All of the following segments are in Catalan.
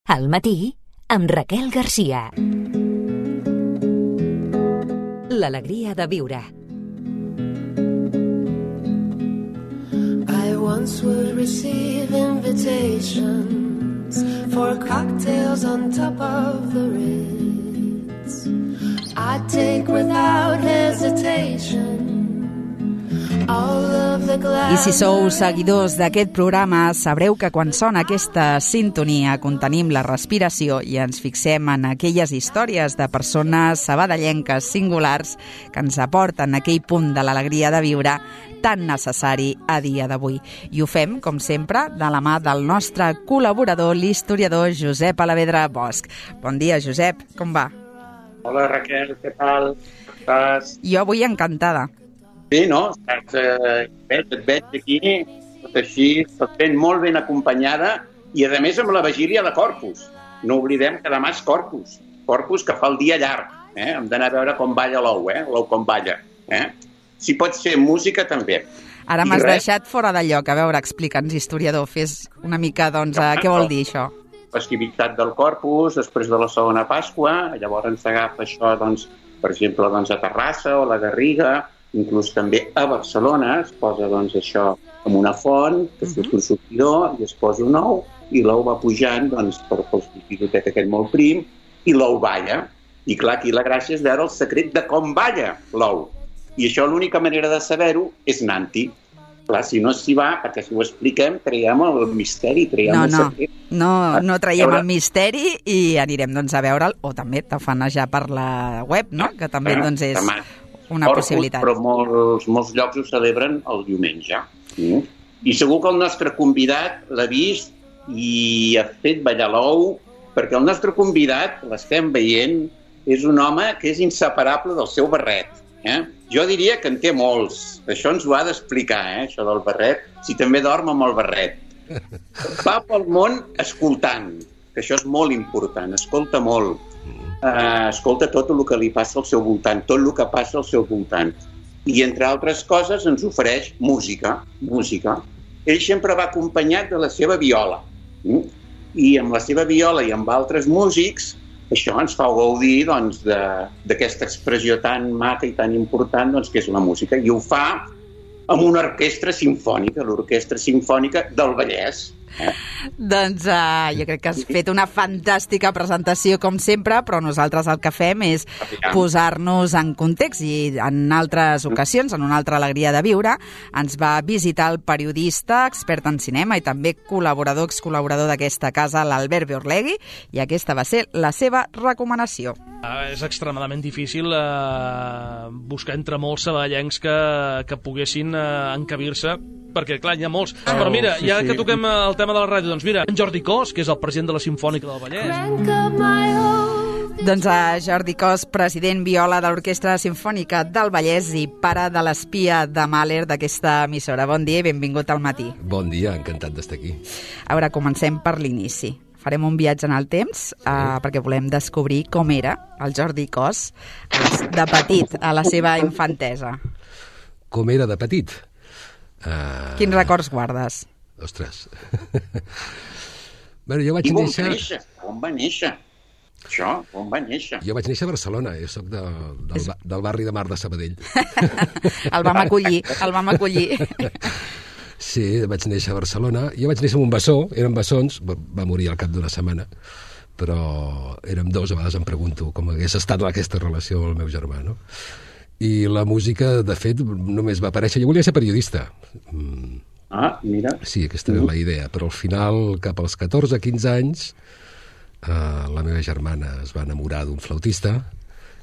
Al matí, amb Raquel Garcia. L'alegria de viure. I once would receive invitations for cocktails on top of the Ritz. I'd take without hesitation all of the glass. I si sou seguidors d'aquest programa, sabreu que quan sona aquesta sintonia contenim la respiració i ens fixem en aquelles històries de persones sabadellenques singulars que ens aporten aquell punt de l'alegria de viure tan necessari a dia d'avui. I ho fem, com sempre, de la mà del nostre col·laborador, l'historiador Josep Alavedra Bosch. Bon dia, Josep, com va? Hola, Raquel, què tal? Com estàs? Jo avui encantada. Sí, no? Et veig aquí, tot així, tot ben, molt ben acompanyada i, a més, amb la vigília de Corpus. No oblidem que demà és Corpus. Corpus que fa el dia llarg. Hem d'anar a veure com balla l'ou, l'ou com balla. Si pot ser música, també. Ara m'has deixat fora de lloc. A veure, explica'ns, historiador, fes una mica, doncs, què vol dir això? Festivitat del Corpus, després de la segona Pasqua, llavors s'agafa això, doncs, per exemple, doncs, a Terrassa o a la Garriga, inclús també a Barcelona es posa doncs, això amb una font, que surt un sortidor i es posa un ou i l'ou va pujant doncs, pel sortidotet aquest molt prim i l'ou balla. I clar, aquí la gràcia és veure el secret de com balla l'ou. I això l'única manera de saber-ho és anant-hi. Clar, si no s'hi va, perquè si ho expliquem, traiem el misteri, traiem el secret. No traiem el misteri i anirem doncs, a veure'l, o també tafanejar per la web, no? Que també doncs, és una possibilitat. Però molts llocs ho celebren el diumenge. I segur que el nostre convidat l'ha vist i ha fet ballar l'ou, perquè el nostre convidat, l'estem veient, és un home que és inseparable del seu barret. Jo diria que en té molts. Això ens ho ha d'explicar, això del barret, si també dorm amb el barret. Va pel món escoltant, que això és molt important, escolta molt. Escolta tot el que li passa al seu voltant, tot el que passa al seu voltant. I, entre altres coses, ens ofereix música. Ell sempre va acompanyat de la seva viola. I amb la seva viola i amb altres músics, això ens fa gaudir doncs, d'aquesta expressió tan maca i tan important doncs, que és la música. I ho fa amb una orquestra simfònica, l'Orquestra Simfònica del Vallès. Doncs jo crec que has fet una fantàstica presentació, com sempre, però nosaltres el que fem és posar-nos en context i en altres ocasions, en una altra alegria de viure, ens va visitar el periodista, expert en cinema i també excol·laborador d'aquesta casa, l'Albert Beorlegui, i aquesta va ser la seva recomanació. És extremadament difícil buscar entre molts sabadellencs que poguessin encabir-se, perquè, clar, hi ha molts. Però mira, ja que toquem el tema de la ràdio, doncs mira, en Jordi Cos, que és el president de la Simfònica del Vallès. Doncs Jordi Cos, president viola de l'Orquestra Simfònica del Vallès i pare de l'espia de Mahler d'aquesta emissora. Bon dia i benvingut al matí. Bon dia, encantat d'estar aquí. A veure, comencem per l'inici. Farem un viatge en el temps perquè volem descobrir com era el Jordi Cos de petit, a la seva infantesa. Com era de petit? Quins records guardes? Ostres. Bueno, jo vaig néixer... On va néixer? Això, on va néixer? Jo vaig néixer a Barcelona, jo soc del barri de Mar de Sabadell. El vam acollir. Sí, vaig néixer a Barcelona. Jo vaig néixer en un bessó, eren bessons, va morir al cap d'una setmana, però érem dos, a vegades em pregunto com hagués estat aquesta relació amb el meu germà, no? I la música, de fet, només va aparèixer... Jo volia ser periodista. Mira. Sí, aquesta era la idea, però al final, cap als 14-15 anys, la meva germana es va enamorar d'un flautista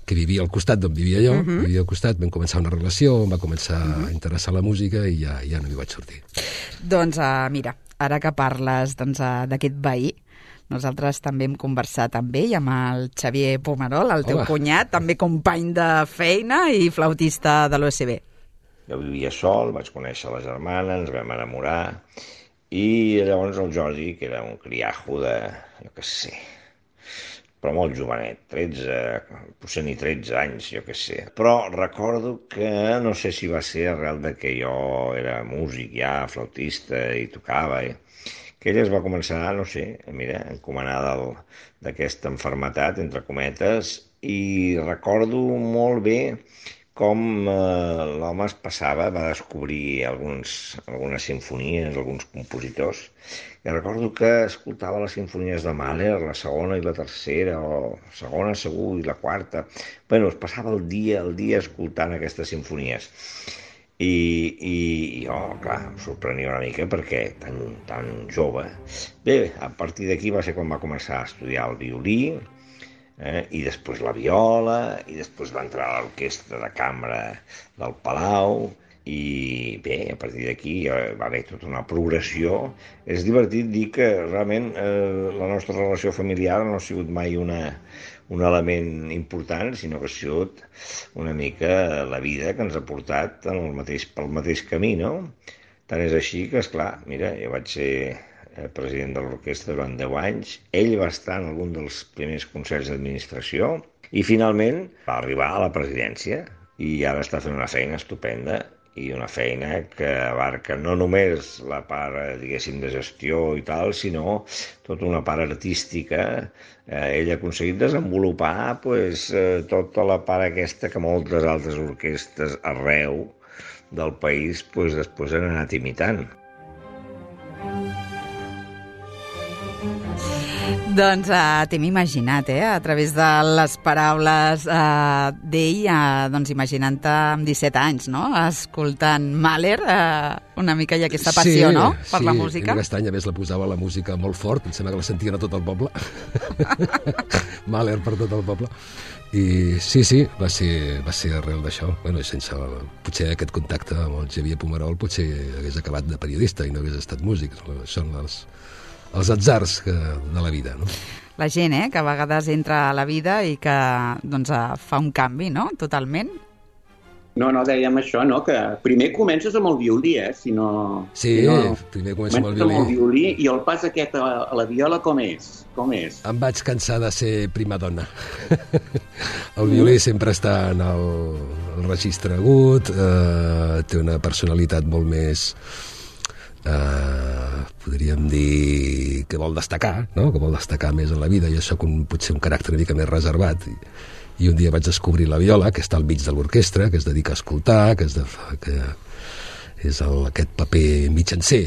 que vivia al costat d'on vivia jo, vivia al costat, vam començar una relació, em va començar a interessar la música i ja no m'hi vaig sortir. Doncs mira, ara que parles d'aquest veí, nosaltres també hem conversat amb ell, amb el Xavier Pomerol, el teu cunyat, també company de feina i flautista de l'OSB. Jo vivia sol, vaig conèixer la germana, ens vam enamorar, i llavors el Jordi, que era un criajo de, jo què sé, però molt jovenet, 13, potser ni 13 anys, jo què sé. Però recordo que, no sé si va ser arrel de que jo era músic ja, flautista, i tocava, que ella es va començar, no sé, mira, encomanada d'aquesta malaltia, entre cometes, i recordo molt bé com l'home es passava, va descobrir algunes simfonies, alguns compositors, i recordo que escoltava les simfonies de Mahler, la segona i la tercera, o la segona segur i la quarta. Bueno, es passava el dia escoltant aquestes simfonies. I jo, clar, em sorprenia una mica perquè tan jove. Bé, a partir d'aquí va ser quan va començar a estudiar el violí, i després la viola, i després va entrar a l'orquestra de cambra del Palau, i bé, a partir d'aquí va haver tota una progressió. És divertit dir que realment la nostra relació familiar no ha sigut mai un element important, sinó que ha sigut una mica la vida que ens ha portat pel mateix camí, no? Tant és així que, esclar, mira, jo vaig ser president de l'orquestra durant 10 anys, ell va estar en algun dels primers consells d'administració i finalment va arribar a la presidència i ara està fent una feina estupenda i una feina que abarca no només la part, diguéssim, de gestió i tal, sinó tota una part artística. Ell ha aconseguit desenvolupar tota la part aquesta que moltes altres orquestres arreu del país després han anat imitant. Doncs t'hem imaginat, a través de les paraules d'ell, doncs imaginant-te amb 17 anys, no?, escoltant Mahler, una mica hi ha aquesta passió, no?, per la música. Sí, aquest any a més la posava la música molt fort, em sembla que la sentien a tot el poble. Mahler per tot el poble. I sí, va ser arrel d'això. Bueno, sense potser aquest contacte amb el Xavier Pomerol potser hagués acabat de periodista i no hagués estat músic. Són els atzars de la vida, no? La gent, que a vegades entra a la vida i que doncs, fa un canvi, no?, totalment. No, dèiem això, no?, que primer comences amb el violí, primer comences amb el violí. I el pas aquest a la viola com és? Em vaig cansar de ser prima donna. El violí sempre està en el registre agut, té una personalitat molt més... podríem dir que vol destacar, no?, que vol destacar més en la vida. Jo soc potser un caràcter una mica més reservat i un dia vaig descobrir la viola, que està al mig de l'orquestra, que es dedica a escoltar, que és aquest paper mitjancer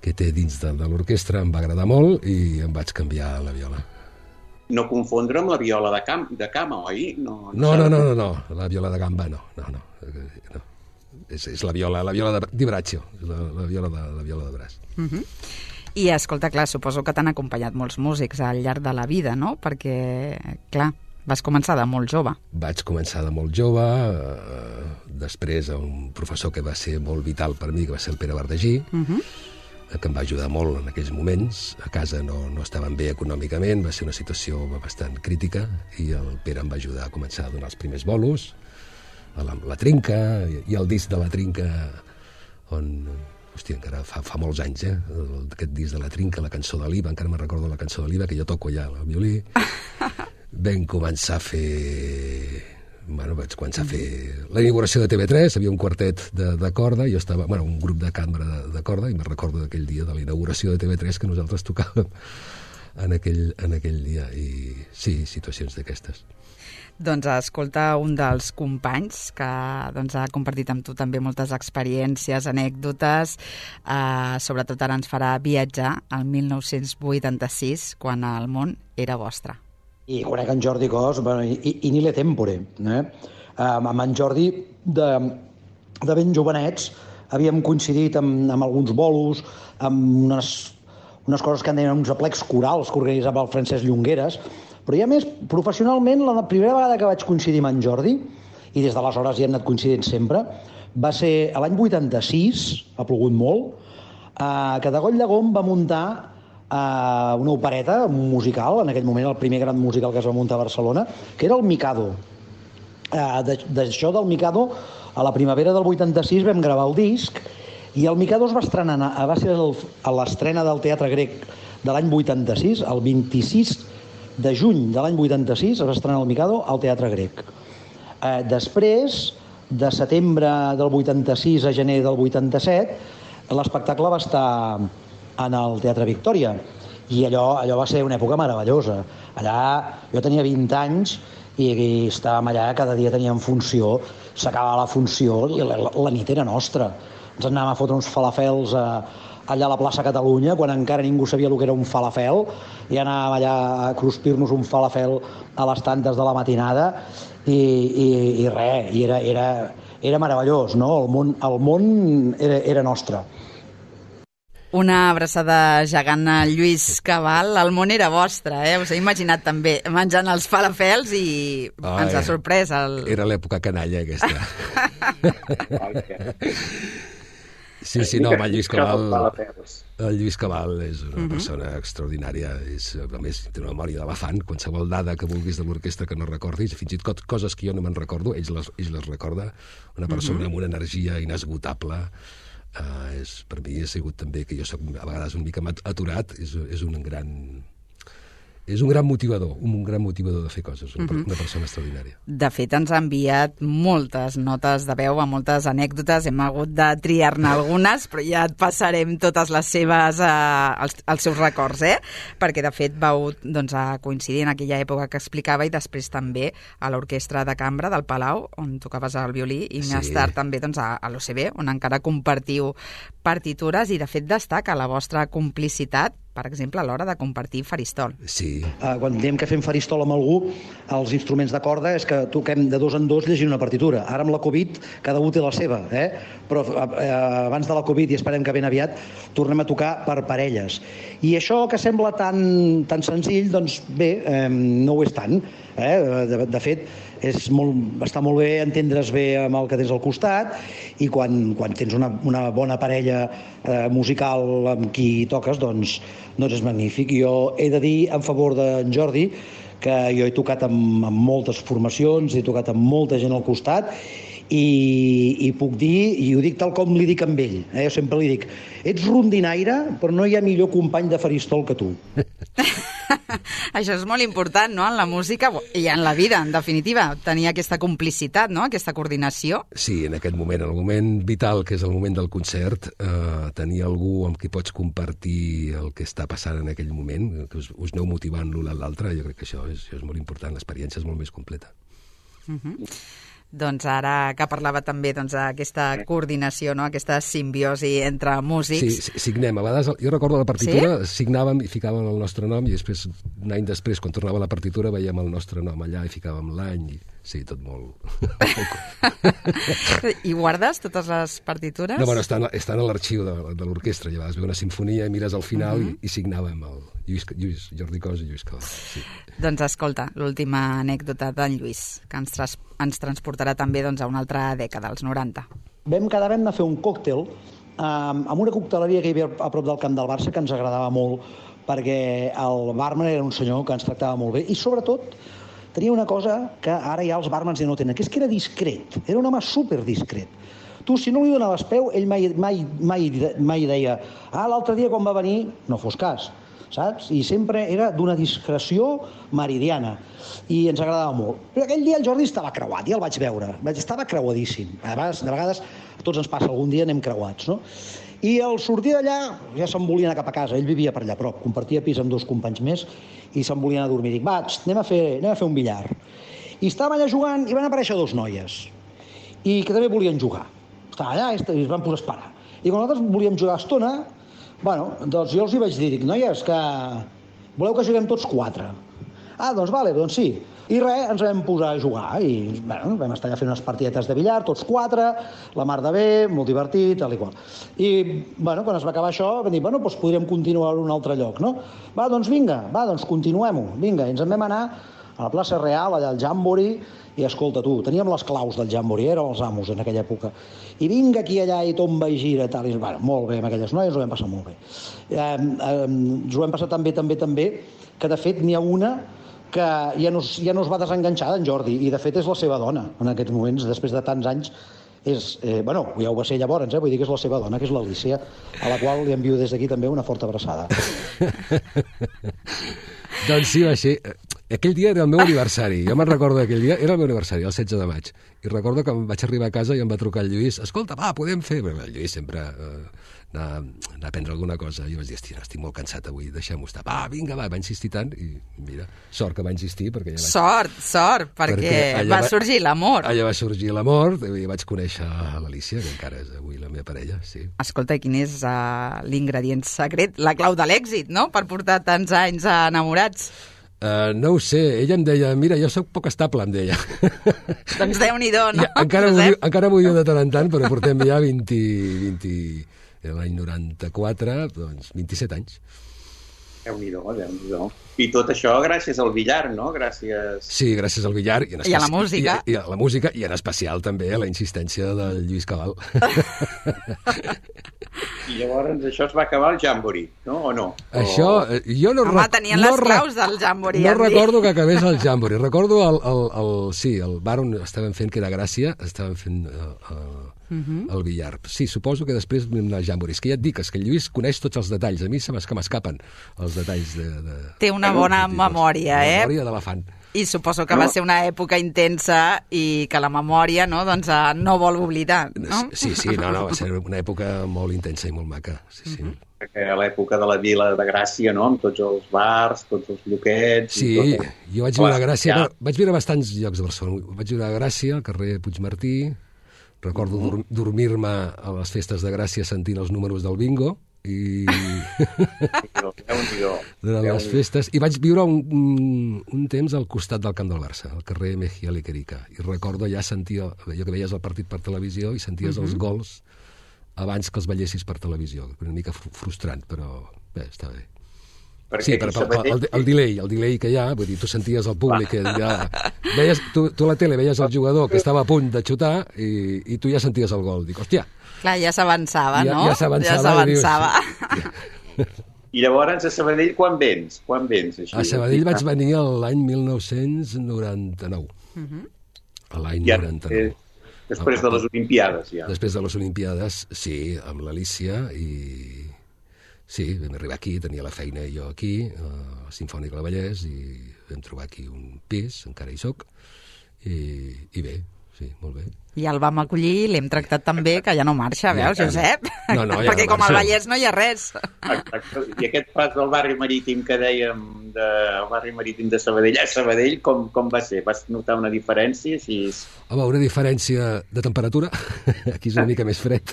que té dins de l'orquestra. Em va agradar molt i em vaig canviar a la viola. No confondre amb la viola de cama, oi? No, la viola de gamba no. És la viola di braccio, la viola de braç. I escolta, clar, suposo que t'han acompanyat molts músics al llarg de la vida, no? Perquè, clar, vas començar de molt jove. Vaig començar de molt jove, després un professor que va ser molt vital per mi, que va ser el Pere Verdagí, que em va ajudar molt en aquells moments. A casa no estaven bé econòmicament, va ser una situació bastant crítica, i el Pere em va ajudar a començar a donar els primers bolos, la Trinca, i el disc de la Trinca, on, hòstia, encara fa molts anys, aquest disc de la Trinca, la cançó de l'Iva, encara me'n recordo la cançó de l'Iva, que jo toco ja el violí. Vam començar a fer... vaig començar a fer la inauguració de TV3, havia un quartet de corda, jo estava, un grup de cambra de corda, i me'n recordo d'aquell dia de la inauguració de TV3 que nosaltres tocàvem en aquell dia, i sí, situacions d'aquestes. Doncs escolta, un dels companys que doncs, ha compartit amb tu també moltes experiències, anècdotes, sobretot ara ens farà viatjar al 1986, quan el món era vostre. I conec en Jordi Cos, i ni le tempore. Amb en Jordi, de ben jovenets, havíem coincidit amb alguns bolos, amb unes coses que en deien uns aplecs corals que organitzava el Francesc Llongueres, però ja més, professionalment, la primera vegada que vaig coincidir amb en Jordi, i des d'aleshores ja hem anat coincidint sempre, va ser l'any 86, ha plogut molt, que de Coll de Gom va muntar una opereta musical, en aquell moment el primer gran musical que es va muntar a Barcelona, que era el Mikado. D'això del Mikado, a la primavera del 86 vam gravar el disc, i el Mikado es va estrenar, va ser a l'estrena del Teatre Grec de l'any 86, el 26 de juny de l'any 86 es va estrenar el Mikado al Teatre Grec. Després, de setembre del 86 a gener del 87, l'espectacle va estar en el Teatre Victòria, i allò va ser una època meravellosa. Allà jo tenia 20 anys i estàvem allà, cada dia teníem funció, s'acabava la funció i la nit era nostra. Ens anàvem a fotre uns falafels allà a la plaça Catalunya, quan encara ningú sabia el que era un falafel, i anàvem allà a cruspir-nos un falafel a les tantes de la matinada, i res, i era meravellós, no? El món era nostre. Una abraçada gegant a Lluís Cabal. El món era vostre, Us he imaginat també menjant els falafels i ens ha sorprès. Era l'època canalla, aquesta. Sí, no, el Lluís Cabal és una persona extraordinària. A més, té una memòria d'elefant. Qualsevol dada que vulguis de l'orquestra que no recordis, fins i tot coses que jo no me'n recordo, ell les recorda. Una persona amb una energia inesgotable. Per mi ha sigut també, que jo soc a vegades una mica aturat, és un gran motivador de fer coses, una persona extraordinària. De fet, ens ha enviat moltes notes de veu, amb moltes anècdotes, hem hagut de triar-ne algunes, però ja et passarem totes les seves, els seus records, perquè de fet vau coincidir en aquella època que explicava, i després també a l'Orquestra de Cambra del Palau, on tocaves el violí, i més tard també a l'OCB, on encara compartiu partitures, i de fet destaca la vostra complicitat, per exemple, a l'hora de compartir faristol. Sí. Quan diem que fem faristol amb algú, els instruments de corda és que toquem de 2 en 2 llegint una partitura. Ara amb la Covid cada un té la seva, però abans de la Covid, i esperem que ben aviat, tornem a tocar per parelles. I això que sembla tan senzill, doncs bé, no ho és tant. De fet, està molt bé entendre's bé amb el que tens al costat, i quan tens una bona parella musical amb qui toques, doncs és magnífic. Jo he de dir en favor d'en Jordi que jo he tocat amb moltes formacions, he tocat amb molta gent al costat, i puc dir, i ho dic tal com li dic amb ell, jo sempre li dic, ets rondinaire, però no hi ha millor company de faristol que tu. Això és molt important, no?, en la música i en la vida, en definitiva, tenir aquesta complicitat, no?, aquesta coordinació. Sí, en aquest moment, en el moment vital, que és el moment del concert, tenir algú amb qui pots compartir el que està passant en aquell moment, que us aneu motivant l'un a l'altre, jo crec que això és molt important, l'experiència és molt més completa. Doncs ara que parlava també d'aquesta coordinació, no?, aquesta simbiosi entre músics. Sí, signem. A vegades, jo recordo la partitura, signàvem i ficàvem el nostre nom, i després, un any després, quan tornava la partitura, veiem el nostre nom allà i ficàvem l'any. Sí, tot molt... I guardes totes les partitures? No, bueno, estan a l'arxiu de l'orquestra. I a vegades ve una sinfonia i mires al final i signàvem el Jordi Cos i Lluís Cabal. Sí. Doncs escolta, l'última anècdota d'en Lluís, que ens transportarà també a una altra dècada, als 90. Vam quedar a fer un còctel amb una cocteleria que hi havia a prop del camp del Barça, que ens agradava molt, perquè el barman era un senyor que ens tractava molt bé, i sobretot tenia una cosa que ara ja els barmans ja no tenen, que és que era discret, era un home superdiscret. Tu, si no li donaves peu, ell mai deia l'altre dia quan va venir, no fos cas, saps? I sempre era d'una discreció meridiana, i ens agradava molt. Però aquell dia el Jordi estava creuat, ja el vaig veure, estava creuadíssim. De vegades a tots ens passa, algun dia anem creuats, no? I al sortir d'allà ja se'n volia anar cap a casa, ell vivia per allà a prop, compartia pis amb 2 companys més, i se'n volia anar a dormir. Dic, anem a fer un billar. I estàvem allà jugant i van aparèixer 2 noies, i que també volien jugar. Estaven allà i es van posar a esperar. I quan nosaltres volíem jugar estona, doncs jo els hi vaig dir, noies, que voleu que juguem tots 4? Doncs vale, doncs sí. I res, ens vam posar a jugar i vam estar allà fent unes partidetes de billar, tots 4, la mar de bé, molt divertit, tal i qual. I quan es va acabar això vam dir, doncs podríem continuar a un altre lloc, no? Doncs vinga, doncs continuem-ho, vinga. I ens en vam anar a la plaça Real, allà al Jamboree, i escolta tu, teníem les claus del Jamboree, érem els amos en aquella època, i vinga aquí allà i tomba i gira, tal, i molt bé amb aquelles noies, ho vam passar molt bé. Ens ho vam passar també, que de fet n'hi ha una que ja no es va desenganxar d'en Jordi, i de fet és la seva dona en aquests moments, després de tants anys. Ja ho va ser llavors, vull dir que és la seva dona, que és l'Alícia, a la qual li envio des d'aquí també una forta abraçada. Doncs sí, va ser... Aquell dia era el meu aniversari. Jo me'n recordo d'aquell dia, era el meu aniversari, el 16 de maig. I recordo que em vaig arribar a casa i em va trucar el Lluís. Escolta, va, podem fer... El Lluís sempre anar a prendre alguna cosa. I vaig dir, hòstia, estic molt cansat avui, deixem-ho estar. Va, vinga, va insistir tant. I mira, sort que va insistir, perquè ja vaig... Sort, perquè va sorgir l'amor. Allà va sorgir l'amor i vaig conèixer l'Alícia, que encara és avui la meva parella, sí. Escolta, quin és l'ingredient secret, la clau de l'èxit, no?, per portar tants anys enamorats. No ho sé, ella em deia, mira, jo sóc poc estable, em deia. Doncs Déu-n'hi-do, no? Encara m'ho diu de tant en tant, però portem ja 20 l'any 94, doncs 27 anys. Déu-n'hi-do. I tot això gràcies al billar, no? Gràcies... Sí, gràcies al billar. I a la música. I a la música, i en especial també a la insistència del Lluís Cabal. I llavors això es va acabar el Jamboree, no? O no? Això, jo no... Home, tenien les claus del Jamboree. No recordo que acabés el Jamboree. Recordo el bar on estaven fent, que era Gràcia, estaven fent el billar. Sí, suposo que després vam anar al Jamboree. És que ja et dic, és que el Lluís coneix tots els detalls. A mi se m'escapen els detalls de... Té una bona memòria, La memòria d'elefant. I suposo que va ser una època intensa i que la memòria, no, doncs, no vol oblidar, no? Sí, no, va ser una època molt intensa i molt maca, sí. Perquè a l'època de la Vila de Gràcia, no?, amb tots els bars, tots els lloquets... Sí, jo vaig viure a Gràcia, vaig viure a bastants llocs de Barcelona. Vaig viure a Gràcia, al carrer Puigmartí, recordo dormir-me a les festes de Gràcia sentint els números del bingo, i durant les festes, i vaig viure un temps al costat del camp del Barça, al carrer Mejía Lequerica, i recordo allà sentia, allò que veies el partit per televisió i senties els gols abans que els veiessis per televisió. Una mica frustrant, però bé, està bé. Sí, però el delay que hi ha, vull dir, tu senties el públic que ja... Veies, tu a la tele veies el jugador que estava a punt de xutar i tu ja senties el gol. Dic, hòstia... Clar, ja s'avançava, no? Ja s'avançava. I llavors a Sabadell quan vens? Així? A Sabadell vaig venir l'any 1999. L'any 99. Després de les Olimpiades, ja. Després de les Olimpiades, sí, amb l'Alícia i... Sí, vam arribar aquí, tenia la feina jo aquí, a la Simfònica del Vallès, i vam trobar aquí un pis, encara hi soc, i bé, sí, molt bé. I el vam acollir i l'hem tractat tan bé que ja no marxa, veus, Josep? No, ja perquè com al Vallès no hi ha res. Exacte. I aquest pas del barri marítim que dèiem, del barri marítim de Sabadell a Sabadell, com va ser? Vas notar una diferència? Home, una diferència de temperatura. Aquí és una mica més fred.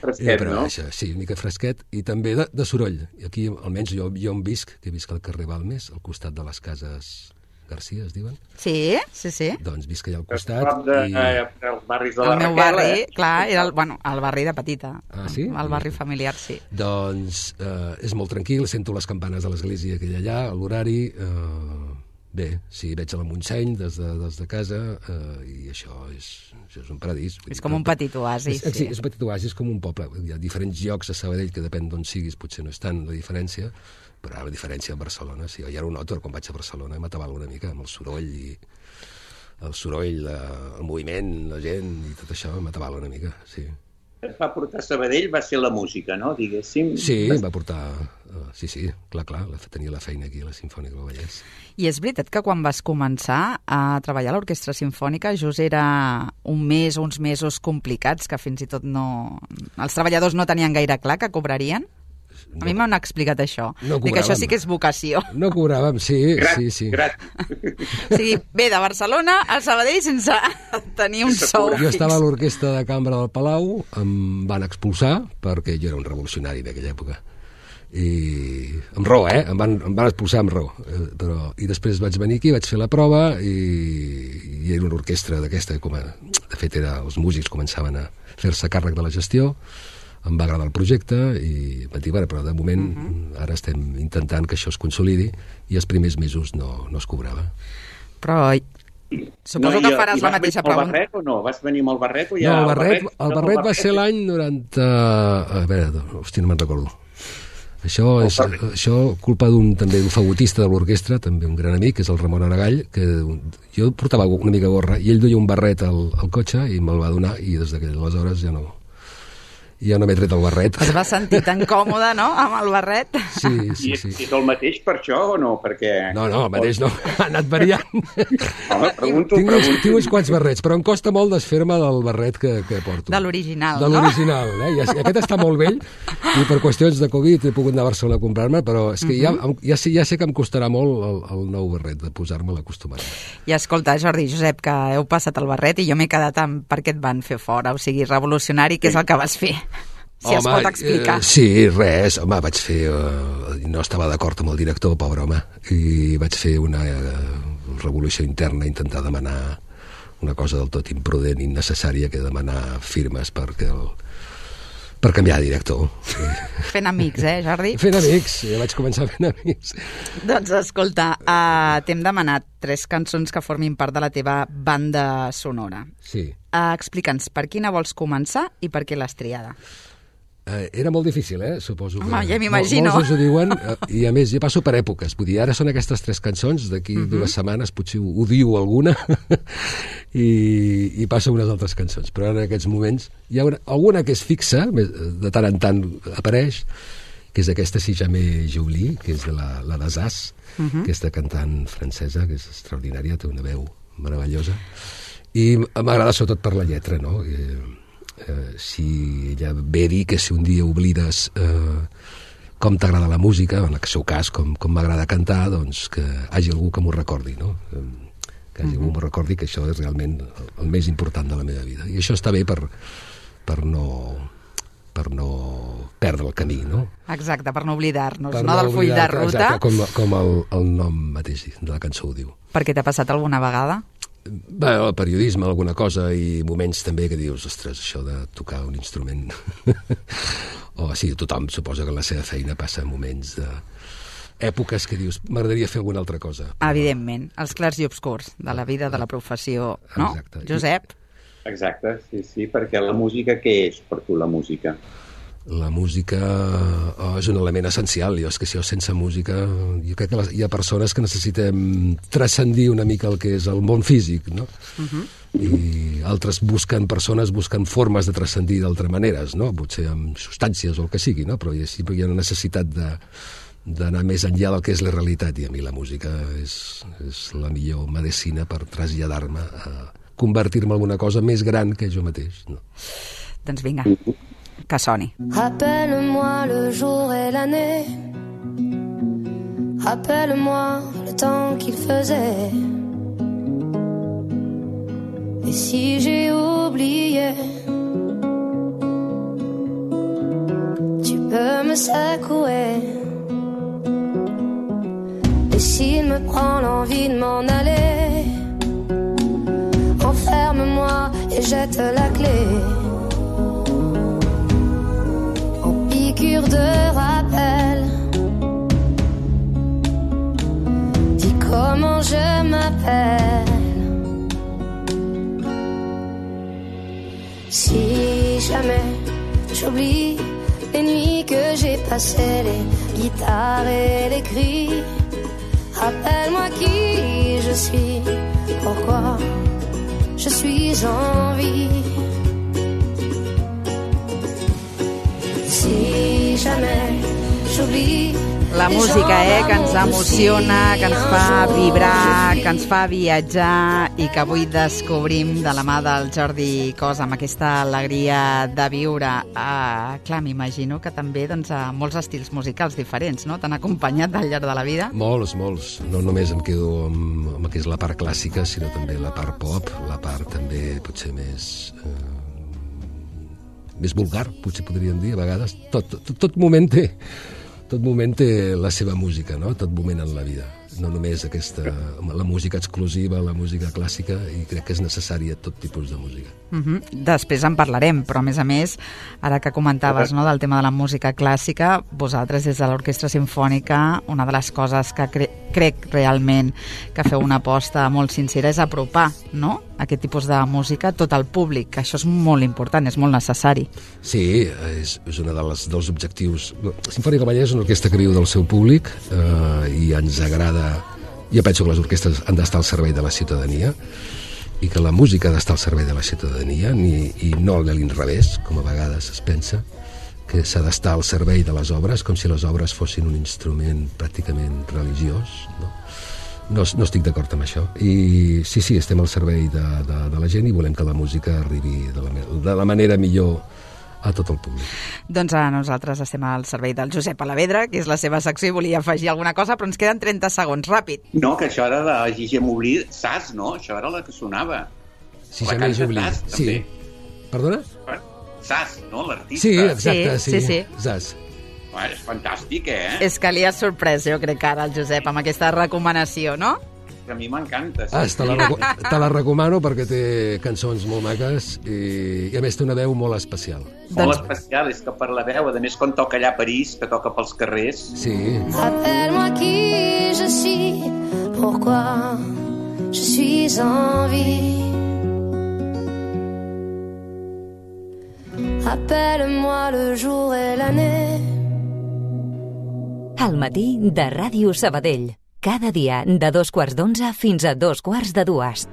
Fresquet, no? Això, sí, una mica fresquet. I també de soroll. I aquí, almenys, jo on visc, que visc al carrer Balmes, al costat de les cases Garcia, es diuen? Sí. Doncs visc allà al costat. Els barris de la Raquel. El meu barri, clar, era el barri de Petita. Ah, sí? El barri familiar, sí. Doncs és molt tranquil, sento les campanes de l'església que hi ha allà, a l'horari. Bé, sí, veig a la Montseny des de casa i això és un paradís. És com un petit oasi. Sí, és un petit oasi, és com un poble. Hi ha diferents llocs a Sabadell que depèn d'on siguis, potser no és tant la diferència, però la diferència a Barcelona, sí, ja ho noto quan vaig a Barcelona, m'atabalo una mica amb el soroll, el moviment, la gent i tot això, m'atabalo una mica, sí. Et va portar a Sabadell va ser la música, no?, diguéssim. Sí, em va portar... Sí, clar, tenia la feina aquí a la Simfònica del Vallès. I és veritat que quan vas començar a treballar a l'Orquestra Simfònica, just era uns mesos complicats, que fins i tot els treballadors no tenien gaire clar que cobrarien? A mi m'han explicat això. Dic que això sí que és vocació. No cobràvem, sí. O sigui, ve de Barcelona a Sabadell sense tenir un sou fix. Jo estava a l'orquestra de cambra del Palau, em van expulsar, perquè jo era un revolucionari d'aquella època. I amb raó, em van expulsar amb raó. I després vaig venir aquí, vaig fer la prova i era una orquestra d'aquesta. De fet, els músics començaven a fer-se càrrec de la gestió. Em va agradar el projecte i vaig dir, però de moment ara estem intentant que això es consolidi i els primers mesos no es cobrava. Però suposo que faràs la mateixa prova. Vas venir amb el barret o no? Vas venir amb el barret o ja... No, el barret va ser l'any 90... A veure, hòstia, no me'n recordo. Això és culpa d'un fagotista de l'orquestra, també un gran amic, que és el Ramon Aragall, que jo portava una mica gorra i ell duia un barret al cotxe i me'l va donar i des d'aleshores ja no i ja no m'he tret el barret. Es va sentir tan còmode, no?, amb el barret. Sí. I és el mateix per això o no? Perquè... No, el mateix no, ha anat variant. Home, pregunto. Tinc uns quants barrets, però em costa molt desfer-me del barret que porto. De l'original, no? De l'original, I aquest està molt vell, i per qüestions de Covid he pogut anar a Barcelona a comprar-me, però és que ja sé que em costarà molt el nou barret, de posar-me l'acostumar. I escolta, Jordi, Josep, que heu passat el barret i jo m'he quedat amb per què et van fer fora, o sigui, revolucionari, què és el que vas fer? Si es pot explicar. Sí, res, vaig fer... no estava d'acord amb el director, pobre home, i vaig fer una revolució interna, intentar demanar una cosa del tot imprudent, innecessària, que demanar firmes per canviar de director. Fent amics, Jordi? Fent amics, ja vaig començar fent amics. Doncs escolta, t'hem demanat 3 cançons que formin part de la teva banda sonora. Sí. Explica'ns per quina vols començar i per què l'has triada. Era molt difícil, suposo. Home, ja m'imagino. Molts us ho diuen, i a més, jo passo per èpoques. Vull dir, ara són aquestes 3 cançons, d'aquí 2 setmanes potser ho diu alguna, i passo unes altres cançons. Però en aquests moments hi ha alguna que és fixa, de tant en tant apareix, que és aquesta Si jamais j'oublie, que és de la d'Azaz, aquesta cantant francesa, que és extraordinària, té una veu meravellosa, i m'agrada sobretot per la lletra, no? Si ella ve dir que si un dia oblides com t'agrada la música, en el seu cas com m'agrada cantar, doncs que hagi algú que m'ho recordi, no? Que hagi algú que m'ho recordi que això és realment el més important de la meva vida, i això està bé per no perdre el camí, no? Exacte, per no oblidar-nos, no del full de ruta. Exacte, com el nom mateix de la cançó ho diu. Per què t'ha passat alguna vegada? Bé, el periodisme, alguna cosa, i moments també que dius, ostres, això de tocar un instrument... o sí, tothom suposa que en la seva feina passa moments èpoques que dius, m'agradaria fer alguna altra cosa. Però... Evidentment, els clars i obscurs de la vida, de la professió, no? Exacte. Josep? Exacte, sí, perquè la música, què és per tu la música? La música és un element essencial. És que si sense música... Jo crec que hi ha persones que necessitem transcendir una mica el que és el món físic, no? I altres persones busquen formes de transcendir d'altres maneres, no? Potser amb substàncies o el que sigui, no? Però sempre hi ha una necessitat d'anar més enllà del que és la realitat, i a mi la música és la millor medicina per traslladar-me a convertir-me en una cosa més gran que jo mateix, no? Doncs vinga, que soni. Rappelle-moi le jour et l'année, rappelle-moi le temps qu'il faisait, et si j'ai oublié, tu peux me secouer, et s'il me prend l'envie de m'en aller, enferme-moi et jette la clé. De rappel, dis comment je m'appelle. Si jamais j'oublie les nuits que j'ai passées, les guitares et les cris, rappelle-moi qui je suis, pourquoi je suis en vie. Si jamais j'oublie la música, que ens emociona, que ens fa vibrar, que ens fa viatjar, i que avui descobrim de la mà del Jordi Cos amb aquesta alegria de viure. Clar, m'imagino que també doncs, molts estils musicals diferents, no? T'han acompanyat al llarg de la vida? Molts. No només em quedo amb el que és la part clàssica, sinó també la part pop, la part també potser més vulgar, potser podríem dir, a vegades. Tot moment té la seva música, no? Tot moment en la vida. No només la música exclusiva, la música clàssica, i crec que és necessària tot tipus de música. Després en parlarem, però a més, ara que comentaves, no, del tema de la música clàssica, vosaltres des de l'Orquestra Simfònica, una de les coses que crec realment que feu una aposta molt sincera és apropar, no?, aquest tipus de música a tot el públic, que això és molt important, és molt necessari. Sí, és un dels objectius. Simfònica Vallès és una orquestra que viu del seu públic, i ens agrada. Jo penso que les orquestres han d'estar al servei de la ciutadania, i que la música ha d'estar al servei de la ciutadania i no de l'inrevés, com a vegades es pensa, que s'ha d'estar al servei de les obres, com si les obres fossin un instrument pràcticament religiós, no? No estic d'acord amb això. I sí, estem al servei de la gent i volem que la música arribi de la manera millor a tot el públic. Doncs nosaltres estem al servei del Josep Alavedra, que és la seva secció, i volia afegir alguna cosa, però ens queden 30 segons, ràpid. No, que això era de Gigi Moblí, Sas, no? Això era la que sonava. Si jamais Moblí. Sí. Perdona? Sas, no? L'artista. Sí, exacte, sí. Sas. És fantàstic, És que li has sorprès, jo crec, ara, el Josep, amb aquesta recomanació, no? A mi m'encanta. Sí. Te la recomano perquè té cançons molt maques i a més té una veu molt especial. Molt especial, és que per la veu, a més quan toca allà a París, que toca pels carrers. Sí. Rappelle-moi qui je suis, pourquoi je suis en vie. Rappelle-moi le jour et l'année. Al matí de Ràdio Sabadell. Cada dia de 2:15 fins a 2:45.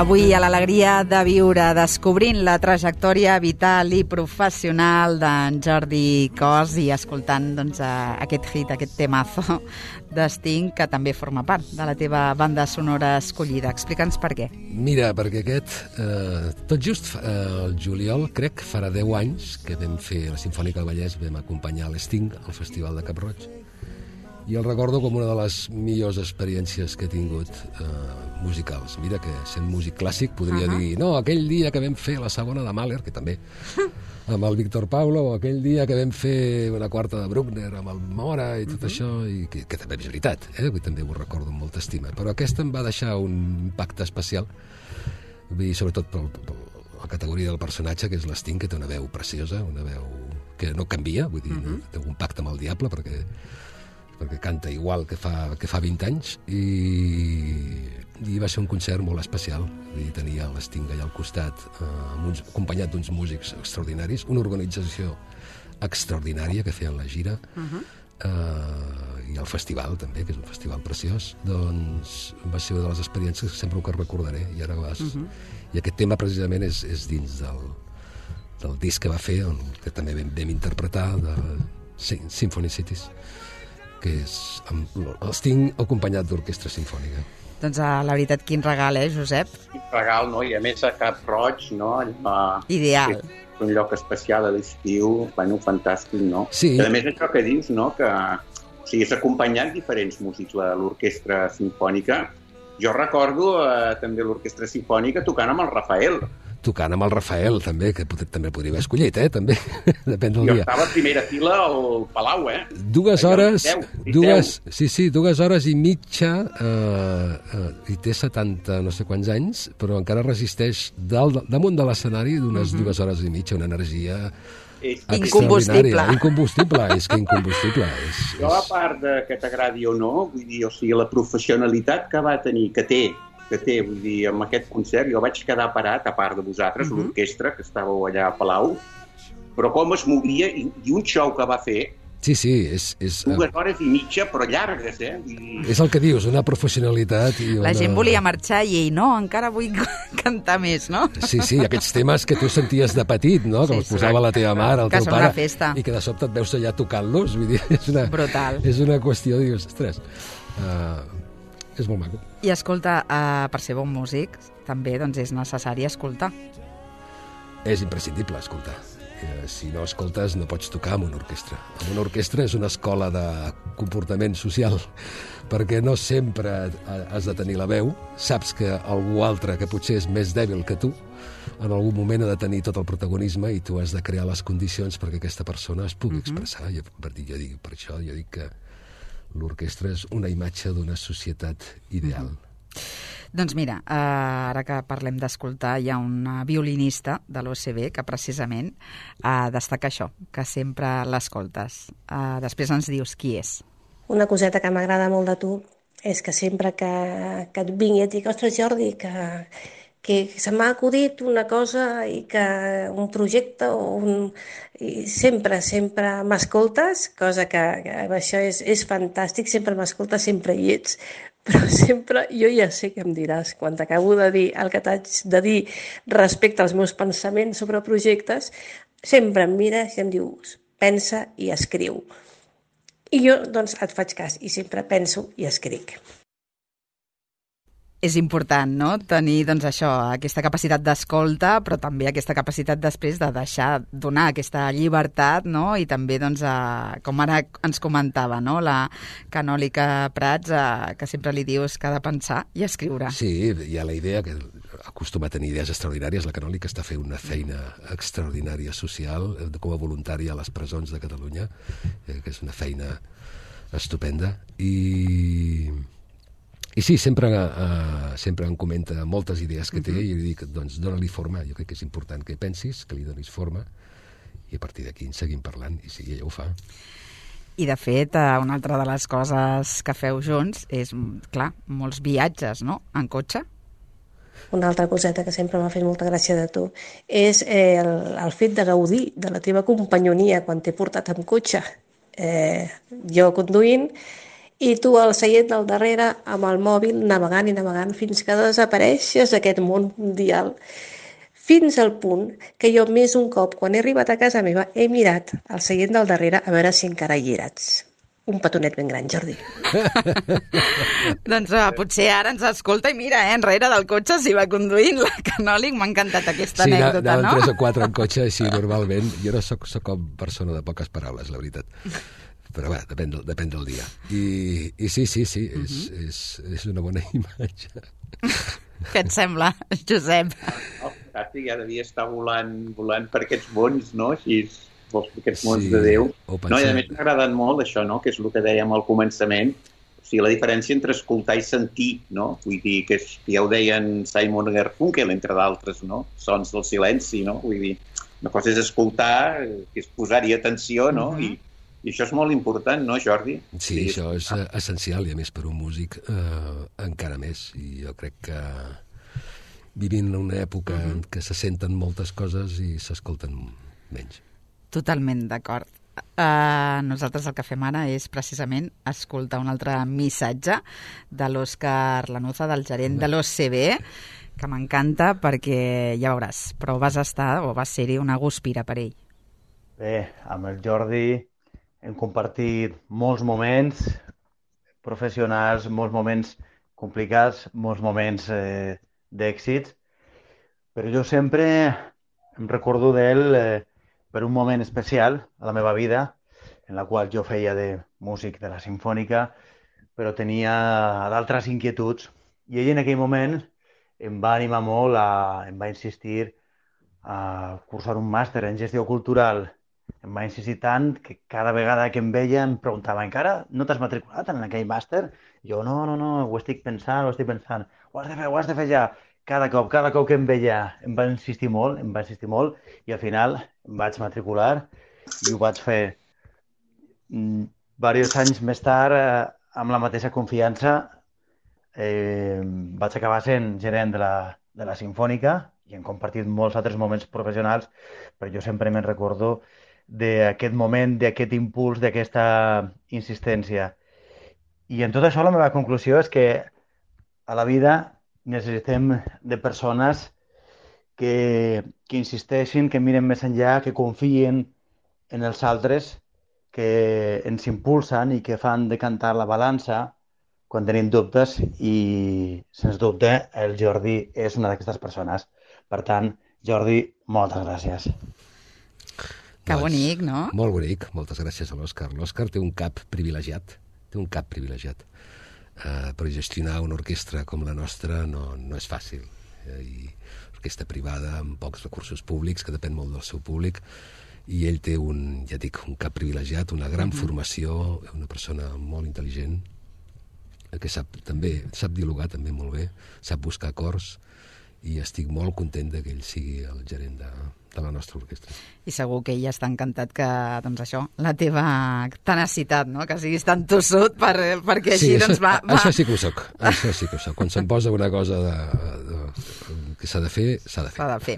Avui, a l'alegria de viure, descobrint la trajectòria vital i professional d'en Jordi Cos i escoltant aquest hit, aquest temazo de Sting, que també forma part de la teva banda sonora escollida. Explica'ns per què. Mira, perquè tot just el juliol, crec, farà 10 anys que vam fer la Simfònica del Vallès, vam acompanyar l'Sting al Festival de Cap-roig. I el recordo com una de les millors experiències que he tingut musicals. Mira que sent músic clàssic podria dir no, aquell dia que vam fer la segona de Mahler, que també amb el Víctor Paulo, o aquell dia que vam fer una quarta de Bruckner amb el Mora i tot això, i que també és veritat, avui també ho recordo amb molta estima, però aquesta em va deixar un impacte especial, vull dir, sobretot per la categoria del personatge, que és l'Sting, que té una veu preciosa, una veu que no canvia, vull dir, té un pacte amb el diable perquè canta igual que fa 20 anys i va ser un concert molt especial. Vull dir, tenia l'Sting allà al costat acompanyat d'uns músics extraordinaris, una organització extraordinària que feien la gira i el festival també, que és un festival preciós. Doncs va ser una de les experiències que sempre que recordaré i ara i aquest tema precisament és dins del disc que va fer, que també vam interpretar, de Symphony Cities, que és el Sting acompanyat d'orquestra simfònica. Doncs la veritat, quin regal, Josep? Quin regal, no? I a més a Cap-roig, no? Ideal. Un lloc especial a l'estiu, fantàstic, no? Sí. I a més això que dius, no? Que és acompanyat diferents músics, l'orquestra simfònica. Jo recordo també l'orquestra simfònica tocant amb el Rafael. Tocant amb el Rafael, també, que també podria haver escollit, també, depèn del dia. Jo estava a primera fila al Palau, 2 hores, 2 hores i mitja, i té 70 no sé quants anys, però encara resisteix damunt de l'escenari d'unes 2 hores i mitja, una energia incombustible. És que incombustible. Jo, a part que t'agradi o no, vull dir, la professionalitat que va tenir, que té, vull dir, amb aquest concert jo vaig quedar parat, a part de vosaltres, l'orquestra, que estàveu allà a Palau, però com es movia, i un show que va fer, Sí, és 2 hores i mitja, però llargues, És el que dius, una professionalitat. La gent volia marxar i ell, no, encara vull cantar més, no? Sí, aquests temes que tu senties de petit, no? Que els posava la teva mare, el teu pare, i que de sobte et veus allà tocant-los, vull dir, brutal. És una qüestió, dius, ostres... és molt maco. I escolta, per ser bon músic també doncs, és necessari escoltar. És imprescindible escoltar. Si no escoltes no pots tocar amb una orquestra. Amb una orquestra és una escola de comportament social, perquè no sempre has de tenir la veu. Saps que algú altre, que potser és més dèbil que tu, en algun moment ha de tenir tot el protagonisme i tu has de crear les condicions perquè aquesta persona es pugui expressar. Per això jo dic que l'orquestra és una imatge d'una societat ideal. Doncs mira, ara que parlem d'escoltar, hi ha una violinista de l'OCB que precisament destaca això, que sempre l'escoltes. Després ens dius qui és. Una coseta que m'agrada molt de tu és que sempre que et vingui et dic, ostres Jordi, que se m'ha acudit una cosa i que un projecte i sempre m'escoltes, cosa que això és fantàstic, sempre m'escoltes, sempre hi ets, però sempre jo ja sé què em diràs quan t'acabo de dir el que t'haig de dir respecte als meus pensaments sobre projectes, sempre em mires i em dius pensa i escriu. I jo doncs et faig cas i sempre penso i escric. És important, no?, tenir doncs, això, aquesta capacitat d'escolta, però també aquesta capacitat després de deixar donar aquesta llibertat, no?, i també, doncs, com ara ens comentava, no?, la Canòlica Prats, que sempre li dius que ha de pensar i escriure. Sí, hi ha la idea que acostuma a tenir idees extraordinàries. La Canòlica està fent una feina extraordinària social com a voluntària a les presons de Catalunya, que és una feina estupenda. I sí, sempre em comenta moltes idees que té i li dic, doncs, dóna-li forma. Jo crec que és important que pensis, que li donis forma i a partir d'aquí en seguim parlant i sí, ella ho fa. I de fet, una altra de les coses que feu junts és, clar, molts viatges, no?, en cotxe. Una altra coseta que sempre m'ha fet molta gràcia de tu és el fet de gaudir de la teva companyonia quan t'he portat amb cotxe. Jo conduint i tu al seient del darrere amb el mòbil navegant i navegant fins que desapareixes d'aquest món mundial. Fins al punt que jo més un cop, quan he arribat a casa meva, he mirat al seient del darrere a veure si encara hi eres. Un petonet ben gran, Jordi. Doncs potser ara ens escolta i mira, enrere del cotxe s'hi va conduint la Canòlic. M'ha encantat aquesta anècdota, no? Sí, anaven 3 o 4 en cotxe, així normalment. Jo no soc com persona de poques paraules, la veritat. Però bé, depèn del dia. I sí, és una bona imatge. Què et sembla, Josep? El ja devia estar volant per aquests mons, no? Així, aquests mons de Déu. No, i a més m'ha agradat molt això, no? Que és el que dèiem al començament. O sigui, la diferència entre escoltar i sentir, no? Vull dir, que ja ho deien Simon Garfunkel, entre d'altres, no? Sons del silenci, no? Vull dir, una cosa és escoltar, que és posar-hi atenció, no? I això és molt important, no, Jordi? Sí, això és essencial, i a més per un músic encara més. I jo crec que vivim en una època en què se senten moltes coses i s'escolten menys. Totalment d'acord. Nosaltres el que fem ara és precisament escoltar un altre missatge de l'Òscar Lanuza, del gerent de l'OCB, que m'encanta perquè, ja veuràs, però vas ser-hi una guspira per ell. Bé, amb el Jordi hem compartit molts moments professionals, molts moments complicats, molts moments d'èxits, però jo sempre em recordo d'ell per un moment especial a la meva vida, en la qual jo feia de músic de la Simfònica, però tenia d'altres inquietuds, i ell en aquell moment em va animar molt, em va insistir a cursar un màster en gestió cultural. Em va insistir tant que cada vegada que em veia em preguntava, encara no t'has matriculat en aquell màster? Jo, no, ho estic pensant. Ho has de fer ja. Cada cop que em veia em va insistir molt, i al final em vaig matricular i ho vaig fer diversos anys més tard amb la mateixa confiança. Vaig acabar sent gerent de la Simfònica i hem compartit molts altres moments professionals, però jo sempre me'n recordo d'aquest moment, d'aquest impuls, d'aquesta insistència. I en tot això la meva conclusió és que a la vida necessitem de persones que insisteixin, que miren més enllà, que confien en els altres, que ens impulsen i que fan decantar la balança quan tenim dubtes i, sens dubte, el Jordi és una d'aquestes persones. Per tant, Jordi, moltes gràcies. Que bonic, no? Molt bonic, moltes gràcies a l'Òscar. L'Òscar té un cap privilegiat, per gestionar una orquestra com la nostra no és fàcil. I orquestra privada amb pocs recursos públics, que depèn molt del seu públic, i ell té un cap privilegiat, una gran formació, una persona molt intel·ligent, que sap dialogar també molt bé, sap buscar acords, i estic molt content que ell sigui el gerent de la nostra orquestra. I segur que ell està encantat que, doncs això, la teva tenacitat, no?, que siguis tan tossut perquè així, doncs, va... Això sí que ho soc, Quan se'm posa una cosa que s'ha de fer, s'ha de fer.